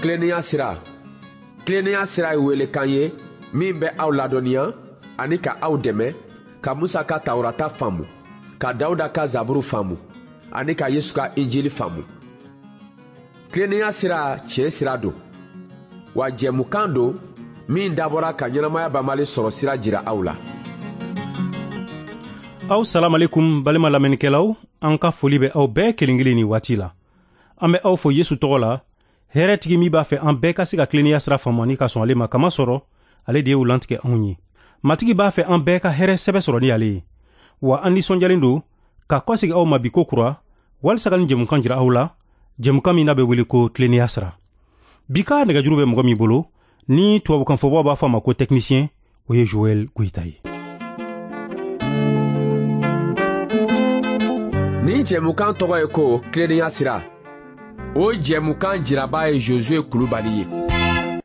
Tilennenya sira. Tilennenya sira ye welekan ye min bɛ aw ladɔnniya ani ka aw dɛmɛ ka Musa ka Tawurata faamu, ka Dawuda ka Zaburu faamu ani ka Yesu ka Injili faamu. Tilennenya sira tiɲɛ sira don, wa jɛmukan don min dabɔra ka ɲɛnamaya banbali sɔrɔ sira jira aw la. Aw salamalekun balima lamɛnnikɛlaw, an ka foli bɛ aw bɛɛ kelen kelen ni waati la. An bɛ aw fo Yesu tɔgɔ la, hɛrɛtigi min b'a fɛ an bɛɛ ka se ka tilennenya sira faamu ani ka sɔn ale ma, kamasɔrɔ ale de y'o lantigɛ anw ye. Matigi b'a fɛ an bɛɛ ka hɛrɛ sɛbɛ sɔrɔ ni ale ye. Wa an nisɔndiyalen don ka kɔsegi aw ma bi ko kura, walisa ka nin jɛmukan jira aw la, jɛmukan min n'a bɛ wele ko tilennenya sira. Bi ka nɛgɛjuru bɛ mɔgɔ min bolo, ni tubabukanfɔbaw b'a fɔ a ma ko technicien, o ye Joël Goyita ye. Nin jɛmukan tɔgɔ ye ko tilennenya sira. O jɛmukan jiraba ye Josué Kulubali ye.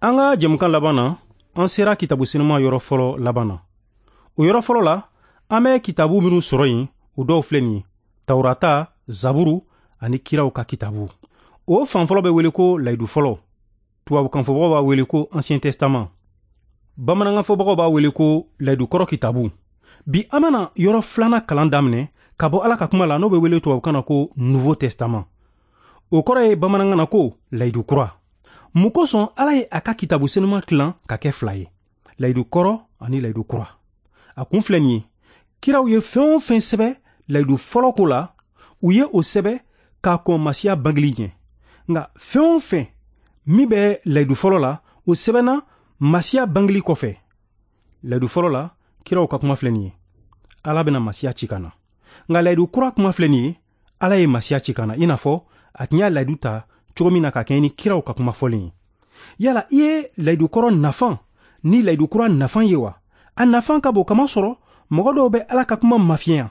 An ka jɛmukan laban na, an sera kitabu senuma yɔrɔ fɔlɔ laban na. O yɔrɔ fɔlɔ la, an bɛ kitabu minnu sɔrɔ yen, o dɔw filɛ nin ye: Tawurata, Zaburu ani kiraw ka kitabu. O fan fɔlɔ bɛ wele ko layidu fɔlɔ. Tubabukanfɔbagaw b'a wele ko Ancien Testament. Bamanankanfɔbagaw b'a wele ko layidu kɔrɔ kitabu. Bi an bɛna yɔrɔ filanan kalan daminɛ ka bɔ Ala ka kuma la, n'o bɛ wele tubabukan na ko Nouveau Testament. O kɔrɔ ye bamanankan na ko layidu kura. Mun kosɔn Ala ye a ka kitabu senuma tilan ka kɛ fila ye, layidu kɔrɔ ani layidu kura? A kun filɛ nin ye: kiraw ye fɛn o fɛn sɛbɛ layidu fɔlɔ ko la, u ye o sɛbɛ k'a kɔn Masiya bangeli ɲɛ. Nka fɛn o fɛn min bɛ layidu fɔlɔ la, o sɛbɛnna Masiya bangeli kɔfɛ. Layidu fɔlɔ la, kiraw ka kuma filɛ nin ye: Ala bɛna Masiya ci ka na. Nka layidu kura kuma filɛ nin ye: Ala ye Masiya ci ka na, i n'a fɔ a tun y'a layidu ta cogo min na ka kɛɲɛ ni kiraw ka kuma fɔlen ye. Yala i ye layidu kɔrɔ nafan ni layidu kura nafan ye wa? A nafan ka bon, kamasɔrɔ mɔgɔ dɔw bɛ Ala ka kuma mafiɲɛya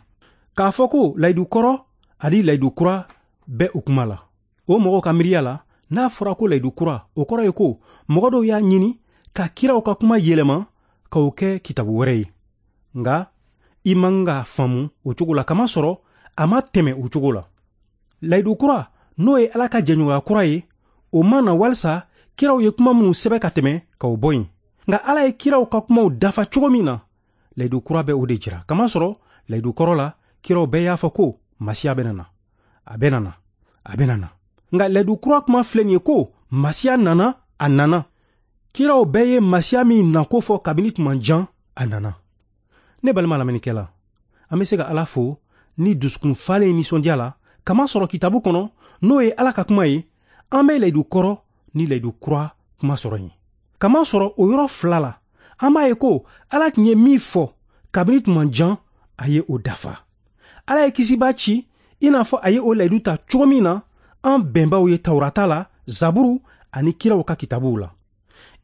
k'a fɔ ko layidu kɔrɔ ani layidu kura bɛ o kuma la. O mɔgɔw ka miiriya la, n'a fɔra ko layidu kura, o kɔrɔ ye ko mɔgɔ dɔw y'a ɲini ka kiraw ka kuma yɛlɛma k'o kɛ kitabu wɛrɛ ye. Nka i man ka faamu o cogo la, kamasɔrɔ a ma tɛmɛ o cogo la. Layidu kura, n'o ye Ala ka jɛɲɔgɔnya kura ye, o ma na walisa kiraw ye kuma minnu sɛbɛ ka tɛmɛ k'o bɔ yen. Nka Ala ye kiraw ka kumaw dafa cogo min na, layidu kura bɛ o de jira. Kamasɔrɔ layidu kɔrɔ la, kiraw bɛɛ y'a fɔ ko Masiya bɛna na, a bɛna na, a bɛna na. Nka layidu kura kuma filɛ nin ye ko Masiya nana, a nana. Kiraw bɛɛ ye Masiya min nako fɔ kabini tuma jan, a nana. Ne balima lamɛnnikɛla, an bɛ se ka Ala fo ni dusukun falen nisɔndiya la, kamasɔrɔ kitabu kɔnɔ, n'o ye Ala ka kuma ye, an bɛ layidu kɔrɔ ni layidu kura kuma sɔrɔ yen. Kamasɔrɔ o yɔrɔ fila la, an b'a ye ko Ala tun ye min fɔ kabini tuma jan, a ye o dafa. Ala ye kisibaa ci i n'a fɔ a ye o layidu ta cogo min na an bɛnbaw ye Tawurata la, Zaburu ani kiraw ka kitabuw la.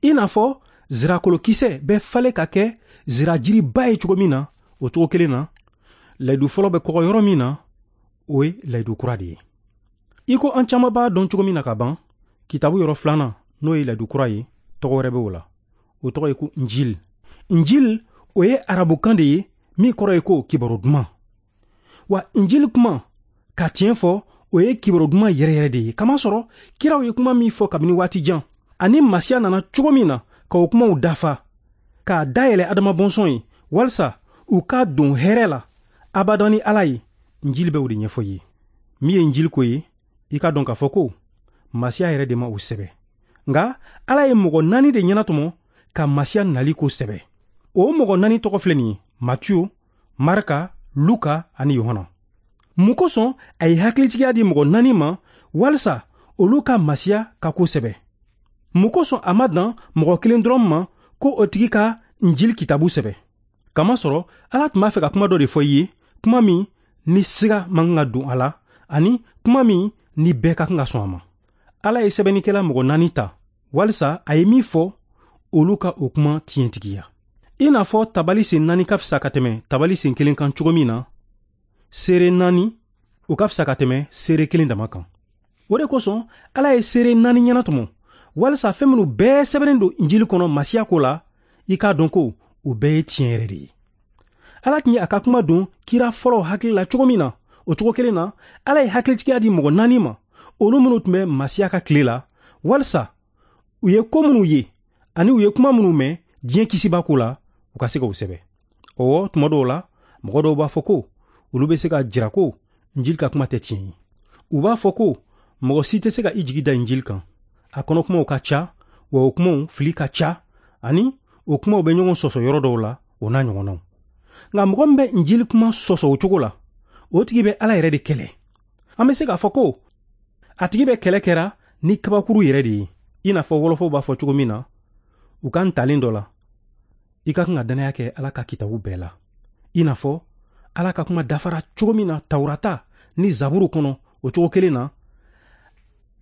I n'a fɔ zirakolokisɛ bɛ falen ka kɛ zirajiriba ye cogo min na, o cogo kelen na, layidu fɔlɔ bɛ kɔgɔ yɔrɔ min na, o ye layidu kura de ye. I ko an caman b'a dɔn cogo min na ka ban, kitabu yɔrɔ filanan, n'o ye layidu kura ye, tɔgɔ wɛrɛ bɛ o la. O tɔgɔ ye ko Injil. Injil, o ye arabukan de ye min kɔrɔ ye ko kibaru duman. Wa Injil kuma, ka tiɲɛ fɔ, o ye kibaru duman yɛrɛ yɛrɛ de ye. Kamasɔrɔ kiraw ye kuma min fɔ kabini waati jan, ani Masiya nana cogo min na ka o kumaw dafa, k'a dayɛlɛ Adama bɔnsɔn ye, walisa u ka don hɛrɛ la abadan ni Ala ye, Injil bɛ o de ɲɛfɔ i ye. Min ye Injil ko ye, i ka dɔn k'a fɔ ko Masiya yɛrɛ de ma o sɛbɛ. Nka Ala ye mɔgɔ naani de ɲɛnatɔmɔ ka Masiya nali ko sɛbɛ. O mɔgɔ naani tɔgɔ filɛ nin ye: Matiyo, Marka, Luka ani Yohana. Mun kosɔn a ye hakilitigiya di mɔgɔ naani ma walisa olu ka Masiya ka ko sɛbɛ? Mun kosɔn a ma dan mɔgɔ kelen dɔrɔn ma ko o tigi ka Injil kitabu sɛbɛ? Kamasɔrɔ Ala tun b'a fɛ ka kuma dɔ de fɔ i ye, kuma min ni siga man kan ka don a la, ani kuma min ni bɛɛ ka kan ka sɔn a ma. Ala ye sɛbɛnnikɛla mɔgɔ naani ta walisa a ye min fɔ, olu ka o kuma tiɲɛtigiya. I n'a fɔ tabali sen naani ka fisa ka tɛmɛ tabali sen kelen kan cogo min na, seere naani o ka fisa ka tɛmɛ seere kelen dama kan. O de kosɔn Ala ye seere naani ɲɛnatɔmɔ walisa fɛn minnu bɛɛ sɛbɛnnen don Injili kɔnɔ Masiya ko la, i k'a dɔn ko o bɛɛ ye tiɲɛ yɛrɛ de ye. Ala tun ye a ka kuma don kira fɔlɔw hakili la cogo min na, o cogo kelen na, Ala ye hakilitigiya di mɔgɔ naani ma, olu minnu tun bɛ Masiya ka tile la, walisa U ye ko minnu ye ani u ye kuma minnu mɛn diɲɛ kisiba ko la, u ka se k'o sɛbɛ. Ɔwɔ, tuma dɔw la mɔgɔ dɔw b'a fɔ ko olu bɛ se ka jira ko Injili ka kuma tɛ tiɲɛ ye. U b'a fɔ ko mɔgɔ si tɛ se ka i jigi da Injili kan. A kɔnɔ kumaw ka ca, wa o kumaw fili ka ca, ani o kumaw bɛ ɲɔgɔn sɔsɔ yɔrɔ dɔw la, o n'a ɲɔgɔnnaw. Nka mɔgɔ min bɛ Injili kuma sɔsɔ o cogo la, o tigi bɛ Ala yɛrɛ de kɛlɛ. An bɛ se k'a fɔ ko a tigi bɛ kɛlɛ kɛra ni kabakuru yɛrɛ de ye, i n'a fɔ wɔlɔfɔw b'a fɔ cogo min na u ka ntalen dɔ la. I ka kan ka dannaya kɛ Ala ka kitabu bɛɛ la, i n'a fɔ Ala ka kuma dafara cogo min na Tawurata ni Zaburu kɔnɔ, o cogo kelen na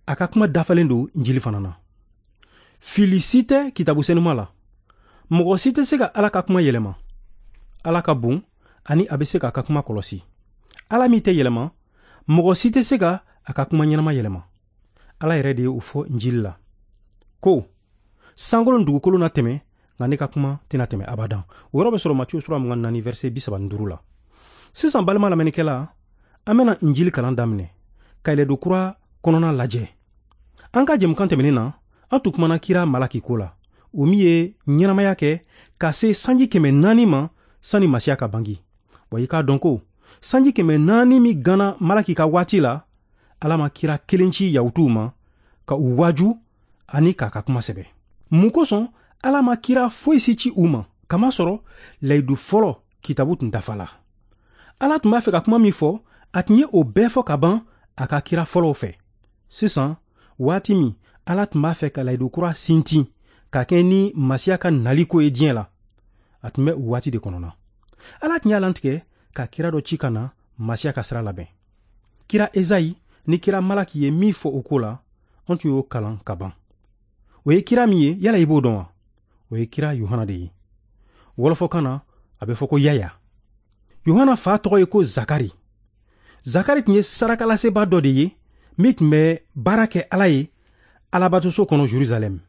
a ka kuma dafalen don Injili fana na. Fili si tɛ kitabu senuma la. Mɔgɔ si tɛ se ka Ala ka kuma yɛlɛma. Ala ka bon ani a bɛ se k'a ka kuma kɔlɔsi. Ala min tɛ yɛlɛma, mɔgɔ si tɛ se ka a ka kuma ɲɛnama yɛlɛma. Ala yɛrɛ de ye o fɔ Injili la ko sankolo ni dugukolo na tɛmɛ, nka ne ka kuma tɛna tɛmɛ abadan. O yɔrɔ bɛ sɔrɔ Matiyu sura 24 verset 35 la. Sisan balima lamɛnnikɛla, an bɛna Injili kalan daminɛ ka yɛlɛdo kura kɔnɔna lajɛ. An ka jɛmukan tɛmɛnen na, an tun kumana kira Malaki ko la, o min ye ɲɛnamaya kɛ ka se sanji 400 ma sani Masiya ka bangi. Wa i k'a dɔn ko sanji 400 min ganna Malaki ka waati la, Ala ma kira kelen ci Yahutuw ma ka u waaju ani k'a ka kuma sɛbɛ. Mun kosɔn Ala ma kira foyi si ci u ma, kamasɔrɔ layidu fɔlɔ kitabu tun dafa la. Ala tun b'a fɛ ka kuma min fɔ, a tun ye o bɛɛ fɔ ka ban a ka kira fɔlɔw fɛ. Sisan, waati min Ala tun b'a fɛ ka layidu kura sintin ka kɛ ni Masiya ka nali ko ye diɲɛ la, a tun bɛ o waati de kɔnɔ na. Ala tun y'a lantigɛ ka kira dɔ ci ka na Masiya ka sira labɛn. Kira Ezayi ni kira Malaki ye min fɔ o ko la, an tun y'o kalan ka ban. O ye kira min ye, yala i b'o dɔn wa? O ye kira Yohana de ye. Wɔlɔfɔkan na, a bɛ fɔ ko Yaya. Yohana fa tɔgɔ ye ko Zakari. Zakari tun ye sarakalaseba dɔ de ye min tun bɛ baara kɛ Ala ye Alabatoso kɔnɔ Jerusalɛm.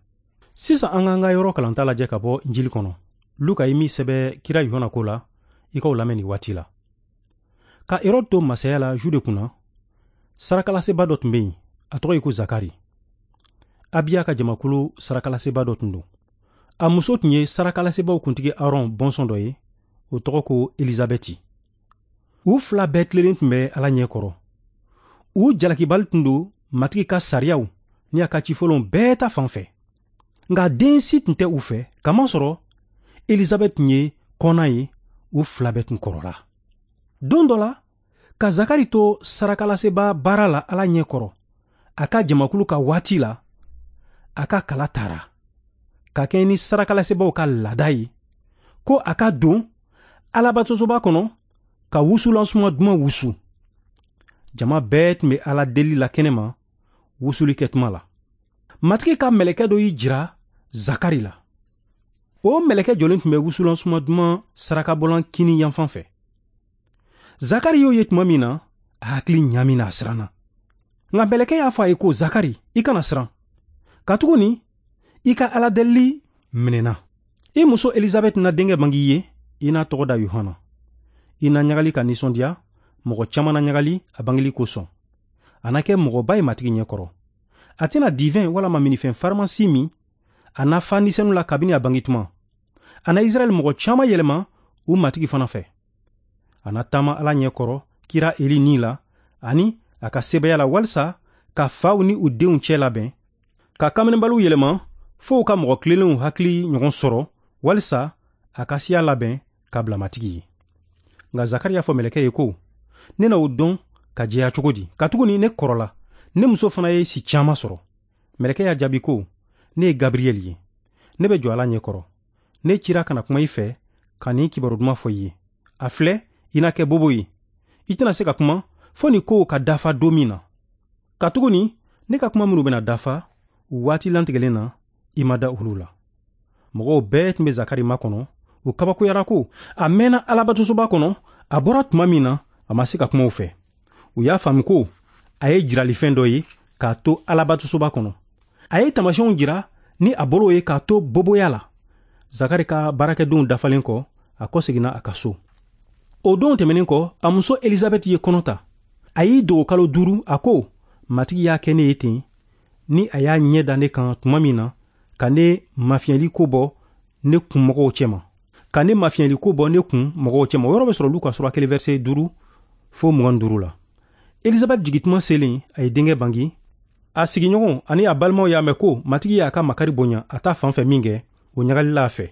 Sisan an k'an ka yɔrɔ kalanta lajɛ ka bɔ Injili kɔnɔ. Luka ye min sɛbɛ kira Yohana ko la, i k'o lamɛn nin waati la. Ka Herode to masaya la Jude kunna, sarakalaseba dɔ tun bɛ yen, a tɔgɔ ye ko Zakari. Abiya ka jamakulu sarakalaseba dɔ tun don. A muso tun ye sarakalasebaw kuntigi Aron bɔnsɔn dɔ ye, o tɔgɔ ko Elizabɛti. U fila bɛɛ tilennen tun bɛ Ala ɲɛ kɔrɔ. U jalakibali tun don Matigi ka sariyaw ni a ka cifɔlenw bɛɛ ta fan fɛ. Nka den si tun tɛ u fɛ, kamasɔrɔ Elizabɛti tun ye kɔnna ye, u fila bɛɛ tun kɔrɔla. Don dɔ la, ka Zakari to sarakalaseba baara la Ala ɲɛ kɔrɔ, a ka jamakulu ka waati la, a ka kala tara ka kɛ ni sarakalasebaw ka laada ye, ko a ka don Alabatosoba kɔnɔ ka wusulansuma duman wusu. Jama bɛɛ tun bɛ Ala deli la kɛnɛma wusuli kɛ tuma la. Matigi ka mɛlɛkɛ dɔ y'i jira Zakari la. O mɛlɛkɛ jɔlen tun bɛ wusulansuma duman sarakabɔlan kini yanfan fɛ. Zakari y'o ye tuma min na, a hakili ɲaamina, a siranna. Nka mɛlɛkɛ y'a fɔ a ye ko, Zakari, i kana siran, katuguni i ka Ala delili minɛna. I muso Elizabɛti na denkɛ bange i ye, i n'a tɔgɔ da Yohana. I na ɲagali ka nisɔndiya, mɔgɔ caman na ɲagali a bangeli kosɔn. A na kɛ mɔgɔba ye Matigi ɲɛkɔrɔ. A tɛna divɛn walama minifɛn farimasi min, a na fa nisɛnu la kabini a bange tuma. A na Israɛl mɔgɔ caman yɛlɛma u Matigi fana fɛ. A na taama Ala ɲɛkɔrɔ kira Eli ni la ani a ka sebaya la, walisa ka faw ni u denw cɛ labɛn, ka kamenebaliw yɛlɛma fo u ka mɔgɔ tilennenw hakili ɲɔgɔn sɔrɔ, walisa a ka siya labɛn ka bila Matigi ye. Nka Zakari y'a fɔ mɛlɛkɛ ye ko, ne na o dɔn ka jɛya cogo di, katuguni ne kɔrɔla, ne muso fana ye si caman sɔrɔ. Mɛlɛkɛ y'a jaabi ko, ne ye Gabriyɛli ye, ne bɛ jɔ Ala ɲɛkɔrɔ. Ne cira ka na kuma i fɛ ka nin kibaru duman fɔ i ye. A filɛ, i na kɛ bobo ye, i tɛna se ka kuma fo nin kow ka dafa don min na. Katuguni ne ka kuma minnu bɛna dafa u waati lantigɛlen na, i ma da olu la. Mɔgɔw bɛɛ tun bɛ Zakari makɔnɔ, u kabakoyara ko a mɛnna Alabatosoba kɔnɔ. A bɔra tuma min na, a ma se ka kuma u fɛ. U y'a faamu ko a ye jiralifɛn dɔ ye k'a to Alabatosoba kɔnɔ. A ye taamasiyɛnw jira ni a bolo ye k'a to boboya la. Zakari ka baarakɛdenw dafalen kɔ, a kɔseginna a ka so. O don tɛmɛnen kɔ, a muso Elizabɛti ye kɔnɔ ta. A y'i dogo kalo 5, a ko, Matigi y'a kɛ ne ye ten, ni a y'a ɲɛ da ne kan tuma min na, Ka ne mafiyɛli ko bɔ ne kun mɔgɔw cɛma, ka ne mafiyɛli ko bɔ ne kun mɔgɔw cɛma. O yɔrɔ bɛ sɔrɔ Luka sura 1 verset 5 fo 25 la. Elizabɛti jigintuma selen, a ye denkɛ bange. A sigiɲɔgɔnw ani a balimaw y'a mɛn ko Matigi y'a ka makari bonya a ta fan fɛ min kɛ, o ɲagalila a fɛ.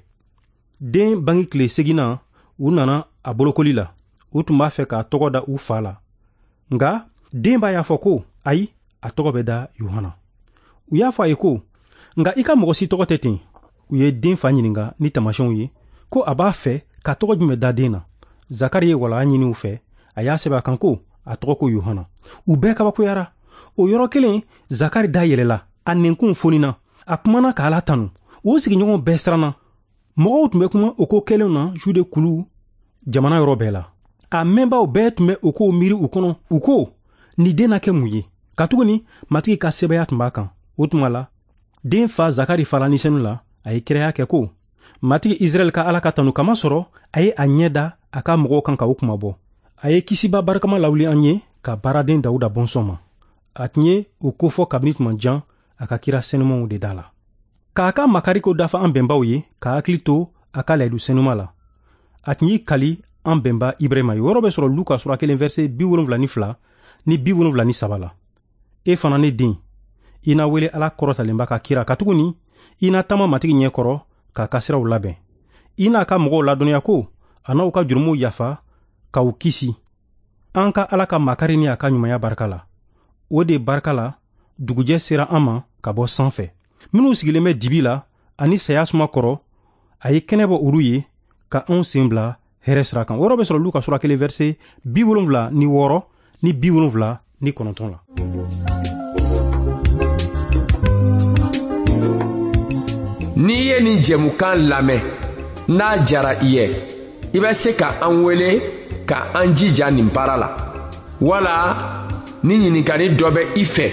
Den bange tile seginnan, u nana a bolokoli la. U tun b'a fɛ k'a tɔgɔ da u fa la, nka den ba y'a fɔ ko ayi, a tɔgɔ bɛ da Yohana. U y'a fɔ a ye ko nka i ka mɔgɔ si tɔgɔ tɛ ten. U ye den fa ɲininka ni taamasiyɛnw ye ko a b'a fɛ ka tɔgɔ jumɛn da den na. Zakari ye walaya ɲini u fɛ, a y'a sɛbɛn a kan ko a tɔgɔ ko Yohana. U bɛɛ kabakoyara. O yɔrɔ kelen, Zakari da yɛlɛla, a nɛnkun fonina, a kumana ka Ala tanu. O sigiɲɔgɔnw bɛɛ siranna. Mɔgɔw tun bɛ kuma o ko kɛlenw na Jude kulu jamana yɔrɔ bɛɛ la. A mɛnbaw bɛɛ tun bɛ o kow miiri u kɔnɔ. U ko, nin den na kɛ mun ye? Katuguni Matigi ka sɛbɛya tun b'a kan. O tuma la, den fa Zakari fara Ni Senu la, a ye kiraya kɛ ko, Matigi Israɛl ka Ala ka tanu, kamasɔrɔ a ye a ɲɛ da a ka mɔgɔw kan ka u kunmabɔ. A ye kisiba barikama lawuli an ye ka baaraden Dawuda bɔnsɔn ma. A tun ye o kofɔ kabini tuma jan a ka kira senumanw de da la. K'a ka makari ko dafa an bɛnbaw ye, k'a hakili to a ka layidu senuma la. A tun y'i kali an bɛnba Ibrahima ye. O yɔrɔ bɛ sɔrɔ Luka sura 1 verset 72 ni 73 la. E fana, ne den, i na wele Ala kɔrɔtalenba ka kira, katuguni i na taama Matigi ɲɛ kɔrɔ k'a ka siraw labɛn. I n'a ka mɔgɔw ladɔnniya ko a n'aw ka jurumuw yafa k'aw kisi, an ka Ala ka makari ni a ka ɲumanya barika la. O de barika la, dugujɛ sera an ma ka bɔ sanfɛ. Minnu sigilen bɛ dibi la ani saya suma kɔrɔ, a ye kɛnɛ bɔ olu ye ka anw sen bila hɛrɛ sira kan. O yɔrɔ bɛ sɔrɔ Luka sura 1 verset 76 ni 79 la. N'i ye nin jɛmukan lamɛn, n'a diyara i ye, i bɛ se ka an wele ka an jija nin baara la, wala ni ɲininkali dɔ bɛ i fɛ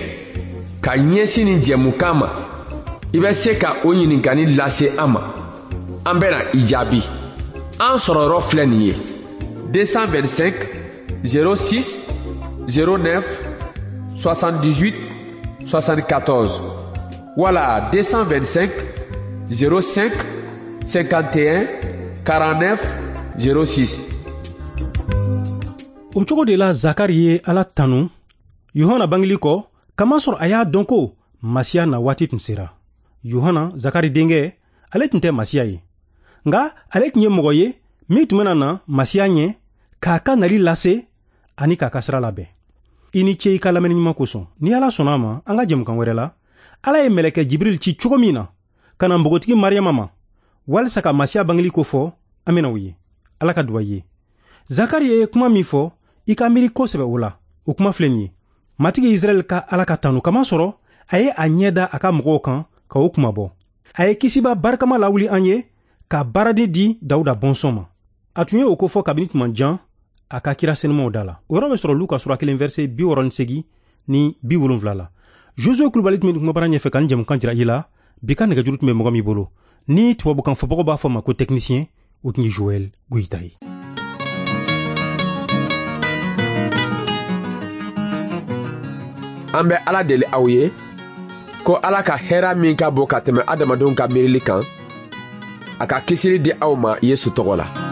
ka ɲɛsin nin jɛmukan ma, i bɛ se ka o ɲininkali lase an ma, an bɛna i jaabi. An sɔrɔ yɔrɔ filɛ nin ye: 225 06 09 78 74 wala 225 05 51 49 06. O cogo de la, Zakari ye Ala tanu Yohana bangeli kɔ, kamasɔrɔ a y'a dɔn ko Masiya na waati tun sera. Yohana, Zakari denkɛ, ale tun tɛ Masiya ye, nka ale tun ye mɔgɔ ye min tun bɛna na Masiya ɲɛ k'a ka nali lase ani k'a ka sira labɛn. I ni ce i ka lamɛnni ɲuman kosɔn. Ni Ala sɔnna a ma, an ka jɛmukan wɛrɛ la, Ala ye mɛlɛkɛ Jibril ci cogo min na ka na npogotigi Mariyama ma walisa ka Masiya bangeli ko fɔ, an bɛna o ye. Ala ka duba i ye. Zakari ye kuma min fɔ, i ka miiri kosɛbɛ o la. O kuma filɛ nin ye: Matigi Israɛl ka Ala ka tanu, kamasɔrɔ a ye a ɲɛ da a ka mɔgɔw kan ka o kunmabɔ. A ye kisiba barikama lawuli an ye ka baaraden di Dawuda bɔnsɔn ma. A tun ye o kofɔ kabini tuma jan a ka kira senumaw da la. O yɔrɔ bɛ sɔrɔ Luka sura 1 verset 68 ni 70 la. Josue Kulubali tun bɛ kumabara ɲɛfɛ ka nin jɛmukan jira i la. Bi ka nɛgɛjuru tun bɛ mɔgɔ min bolo, ni tubabukan fɔbagaw b'a fɔ ma ko technicien, o tun ye Joël Goyita ye. An bɛ Ala deli aw ye ko Ala ka hɛrɛ min ka bon ka tɛmɛ adamadenw ka miirili kan, a ka kisili di aw ma Yesu tɔgɔ la.